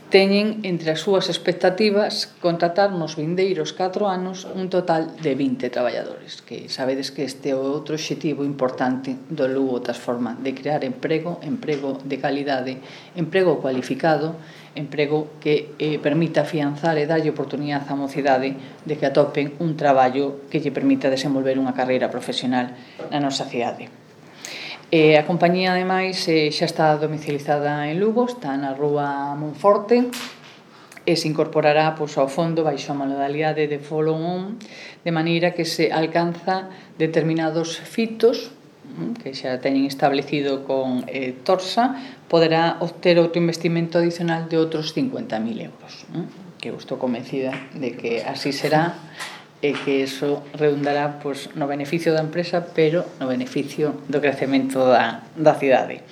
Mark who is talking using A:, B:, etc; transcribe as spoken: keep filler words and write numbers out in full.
A: teñen entre as súas expectativas contratar nos vindeiros catro anos un total de vinte traballadores, que sabedes que este é outro obxectivo importante do Lugo Transforma, de crear emprego, emprego de calidade, emprego cualificado, emprego que eh, permita afianzar e darlle oportunidade á mocidade de que atopen un traballo que lle permita desenvolver unha carreira profesional na nosa cidade. Eh, a compañía, ademais, eh, xa está domicilizada en Lugo, está na rúa Monforte, e se incorporará pois, ao fondo baixo a modalidade de follow-on, de maneira que se alcanza determinados fitos que xa teñen establecido con eh, Torsa, poderá obter outro investimento adicional de outros cincuenta mil euros, ¿no? Que eu estou convencida de que así será, e que iso redundará pois, no beneficio da empresa, pero no beneficio do crecemento da, da cidade.